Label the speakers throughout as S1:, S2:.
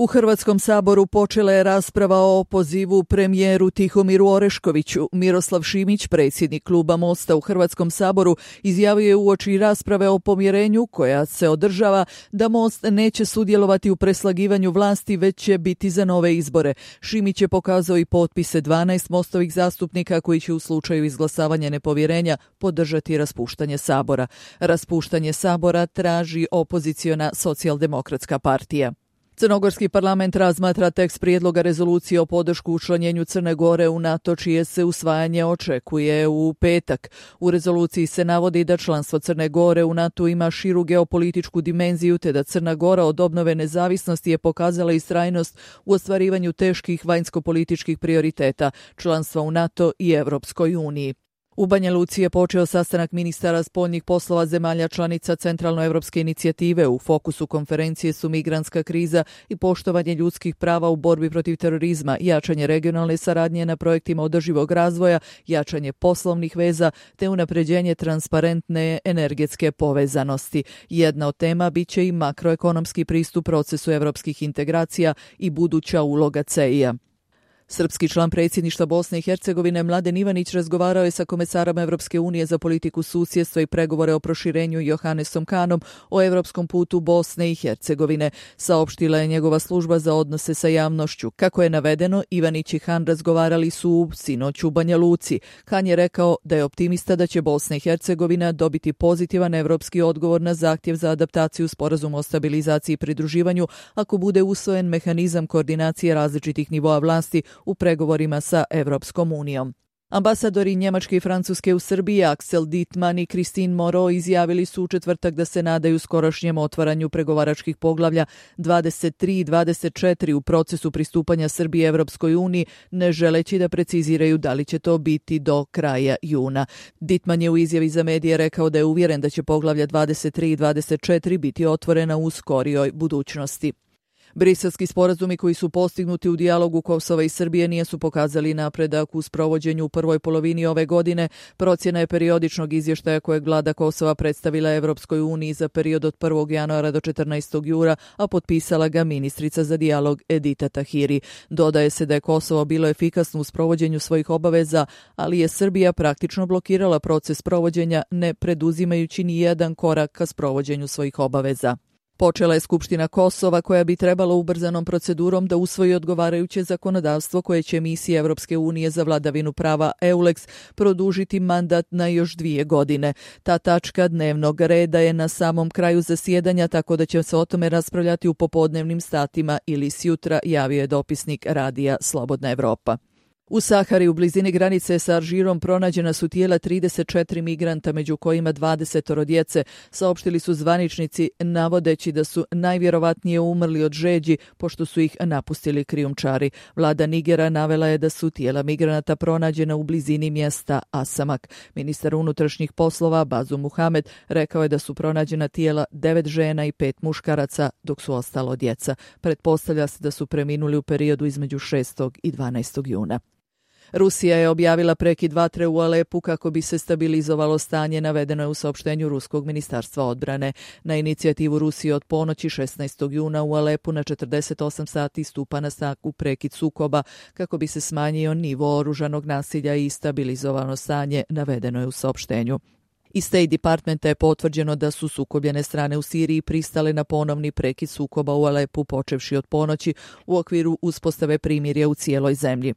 S1: U Hrvatskom saboru počela je rasprava o opozivu premijeru Tihomiru Oreškoviću. Miroslav Šimić, predsjednik kluba Mosta u Hrvatskom saboru, izjavio je uoči rasprave o pomirenju koja se održava da Most neće sudjelovati u preslagivanju vlasti, već će biti za nove izbore. Šimić je pokazao i potpise 12 Mostovih zastupnika koji će u slučaju izglasavanja nepovjerenja podržati raspuštanje sabora. Raspuštanje sabora traži opoziciona Socijaldemokratska partija. Crnogorski parlament razmatra tekst prijedloga rezolucije o podršku učlanjenju Crne Gore u NATO, čije se usvajanje očekuje u petak. U rezoluciji se navodi da članstvo Crne Gore u NATO ima širu geopolitičku dimenziju, te da Crna Gora od obnove nezavisnosti je pokazala istrajnost u ostvarivanju teških vanjsko-političkih prioriteta, članstva u NATO i Europskoj uniji. U Banja Luci je počeo sastanak ministara spoljnih poslova zemalja članica Centralnoevropske inicijative. U fokusu konferencije su migrantska kriza i poštovanje ljudskih prava u borbi protiv terorizma, jačanje regionalne saradnje na projektima održivog razvoja, jačanje poslovnih veza te unapređenje transparentne energetske povezanosti. Jedna od tema biće i makroekonomski pristup procesu evropskih integracija i buduća uloga CEI-a. Srpski član predsjedništva Bosne i Hercegovine Mladen Ivanić razgovarao je sa komesarom Evropske unije za politiku susjedstva i pregovore o proširenju Johannesom Kahnom o evropskom putu Bosne i Hercegovine, saopštila je njegova služba za odnose sa javnošću. Kako je navedeno, Ivanić i Hahn razgovarali su sinoć u Banja Luci. Hahn je rekao da je optimista da će Bosna i Hercegovina dobiti pozitivan evropski odgovor na zahtjev za adaptaciju sporazuma o stabilizaciji i pridruživanju ako bude usvojen mehanizam koordinacije različitih nivoa vlasti u pregovorima sa Evropskom unijom. Ambasadori Njemačke i Francuske u Srbiji Axel Dittmann i Christine Moreau izjavili su u četvrtak da se nadaju skorašnjem otvaranju pregovaračkih poglavlja 23 i 24 u procesu pristupanja Srbije Evropskoj uniji, ne želeći da preciziraju da li će to biti do kraja juna. Dittmann je u izjavi za medije rekao da je uvjeren da će poglavlja 23 i 24 biti otvorena u skorijoj budućnosti. Briselski sporazumi koji su postignuti u dijalogu Kosova i Srbije nisu pokazali napredak u sprovođenju u prvoj polovini ove godine. Procjena je periodičnog izvještaja kojeg vlada Kosova predstavila Evropskoj uniji za period od 1. januara do 14. jula, a potpisala ga ministrica za dijalog Edita Tahiri. Dodaje se da je Kosovo bilo efikasno u sprovođenju svojih obaveza, ali je Srbija praktično blokirala proces provođenja, ne preduzimajući ni jedan korak ka sprovođenju svojih obaveza. Počela je Skupština Kosova koja bi trebala ubrzanom procedurom da usvoji odgovarajuće zakonodavstvo koje će misiji Evropske unije za vladavinu prava EULEX produžiti mandat na još 2 godine. Ta tačka dnevnog reda je na samom kraju zasjedanja, tako da će se o tome raspravljati u popodnevnim satima ili sjutra, javio je dopisnik radija Slobodna Evropa. U Sahari u blizini granice sa Alžirom pronađena su tijela 34 migranta, među kojima 20 djece, saopštili su zvaničnici navodeći da su najvjerovatnije umrli od žeđi pošto su ih napustili krijumčari. Vlada Nigera navela je da su tijela migranata pronađena u blizini mjesta Asamak. Ministar unutrašnjih poslova Bazum Muhamed rekao je da su pronađena tijela 9 žena i 5 muškaraca, dok su ostalo djeca. Pretpostavlja se da su preminuli u periodu između 6. i 12. juna. Rusija je objavila prekid vatre u Alepu kako bi se stabilizovalo stanje, navedeno je u saopštenju Ruskog ministarstva odbrane. Na inicijativu Rusije od ponoći 16. juna u Alepu na 48 sati stupa na snagu prekid sukoba kako bi se smanjio nivo oružanog nasilja i stabilizovano stanje, navedeno je u saopštenju. Iz State Departmenta je potvrđeno da su sukobljene strane u Siriji pristale na ponovni prekid sukoba u Alepu počevši od ponoći u okviru uspostave primirja u cijeloj zemlji.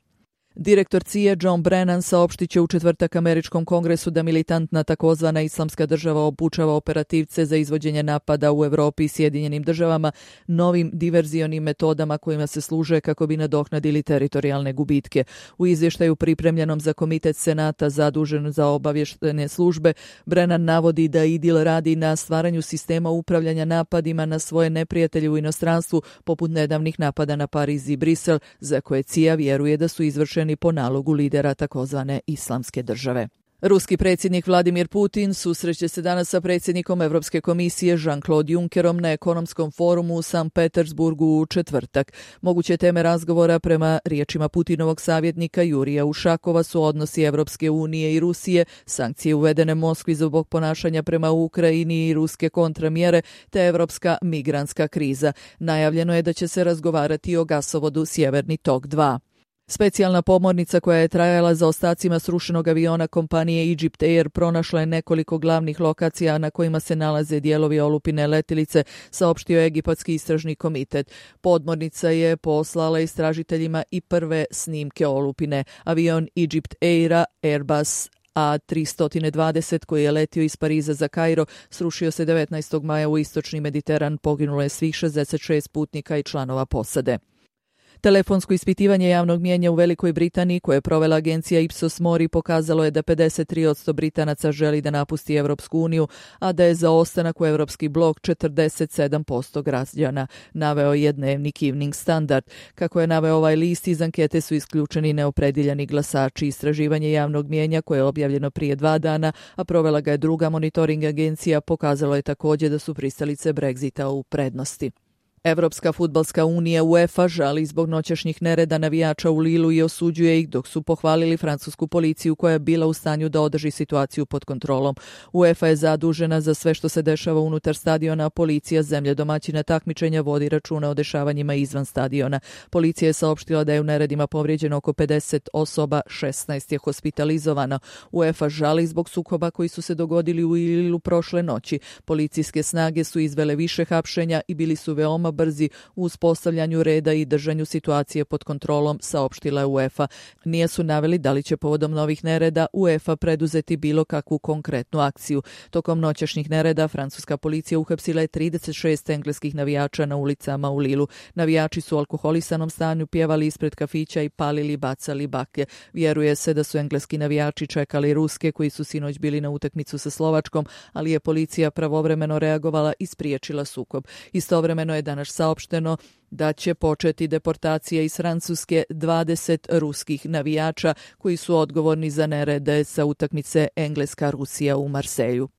S1: Direktor CIA John Brennan saopštit će u četvrtak Američkom kongresu da militantna takozvana Islamska država obučava operativce za izvođenje napada u Europi i Sjedinjenim državama novim diverzionim metodama kojima se služe kako bi nadoknadili teritorijalne gubitke. U izvještaju pripremljenom za Komitet Senata zadužen za obavještajne službe, Brennan navodi da IDIL radi na stvaranju sistema upravljanja napadima na svoje neprijatelje u inostranstvu, poput nedavnih napada na Pariz i Brisel, za koje CIA vjeruje da su izvršeni po nalogu lidera takozvane Islamske države. Ruski predsjednik Vladimir Putin susreće se danas sa predsjednikom Europske komisije Jean-Claude Junckerom na ekonomskom forumu u Sankt Petersburgu u četvrtak. Moguće teme razgovora prema riječima Putinovog savjetnika Jurija Ušakova su odnosi Evropske unije i Rusije, sankcije uvedene Moskvi zbog ponašanja prema Ukrajini i ruske kontramjere, te evropska migrantska kriza. Najavljeno je da će se razgovarati o gasovodu Sjeverni tok 2. Specijalna pomornica koja je trajala za ostacima srušenog aviona kompanije Egypt Air pronašla je nekoliko glavnih lokacija na kojima se nalaze dijelovi olupine letjelice, saopštio je Egipatski istražni komitet. Podmornica je poslala istražiteljima i prve snimke olupine. Avion Egypt Aira Airbus A320 koji je letio iz Pariza za Kairo srušio se 19. maja u istočni Mediteran, poginulo je svih 66 putnika i članova posade. Telefonsko ispitivanje javnog mnijenja u Velikoj Britaniji koje je provela agencija Ipsos Mori pokazalo je da 53% Britanaca želi da napusti Evropsku uniju, a da je za ostanak u Evropski blok 47% građana, naveo je dnevnik Evening Standard. Kako je naveo ovaj list, iz ankete su isključeni neopredijeljeni glasači. Istraživanje javnog mnijenja koje je objavljeno prije 2 dana, a provela ga je druga monitoring agencija, pokazalo je također da su pristalice Brexita u prednosti. Evropska fudbalska unija UEFA žali zbog noćašnjih nereda navijača u Lilu i osuđuje ih, dok su pohvalili francusku policiju koja je bila u stanju da održi situaciju pod kontrolom. UEFA je zadužena za sve što se dešava unutar stadiona, a policija zemlje domaćina takmičenja vodi računa o dešavanjima izvan stadiona. Policija je saopštila da je u neredima povrijeđeno oko 50 osoba, 16 je hospitalizovano. UEFA žali zbog sukoba koji su se dogodili u Lilu prošle noći. Policijske snage su izvele više hapšenja i bili su veoma brzi u uspostavljanju reda i držanju situacije pod kontrolom, saopštila je UEFA. Nije su naveli da li će povodom novih nereda UEFA preduzeti bilo kakvu konkretnu akciju. Tokom noćašnjih nereda francuska policija uhapsila je 36 engleskih navijača na ulicama u Lilu. Navijači su u alkoholisanom stanju pjevali ispred kafića i palili, bacali baklje. Vjeruje se da su engleski navijači čekali ruske koji su sinoć bili na utakmicu sa Slovačkom, ali je policija pravovremeno reagovala i spriječila sukob. Istovremeno je danas saopšteno da će početi deportacija iz Francuske 20 ruskih navijača koji su odgovorni za nerede sa utakmice Engleska-Rusija u Marseju.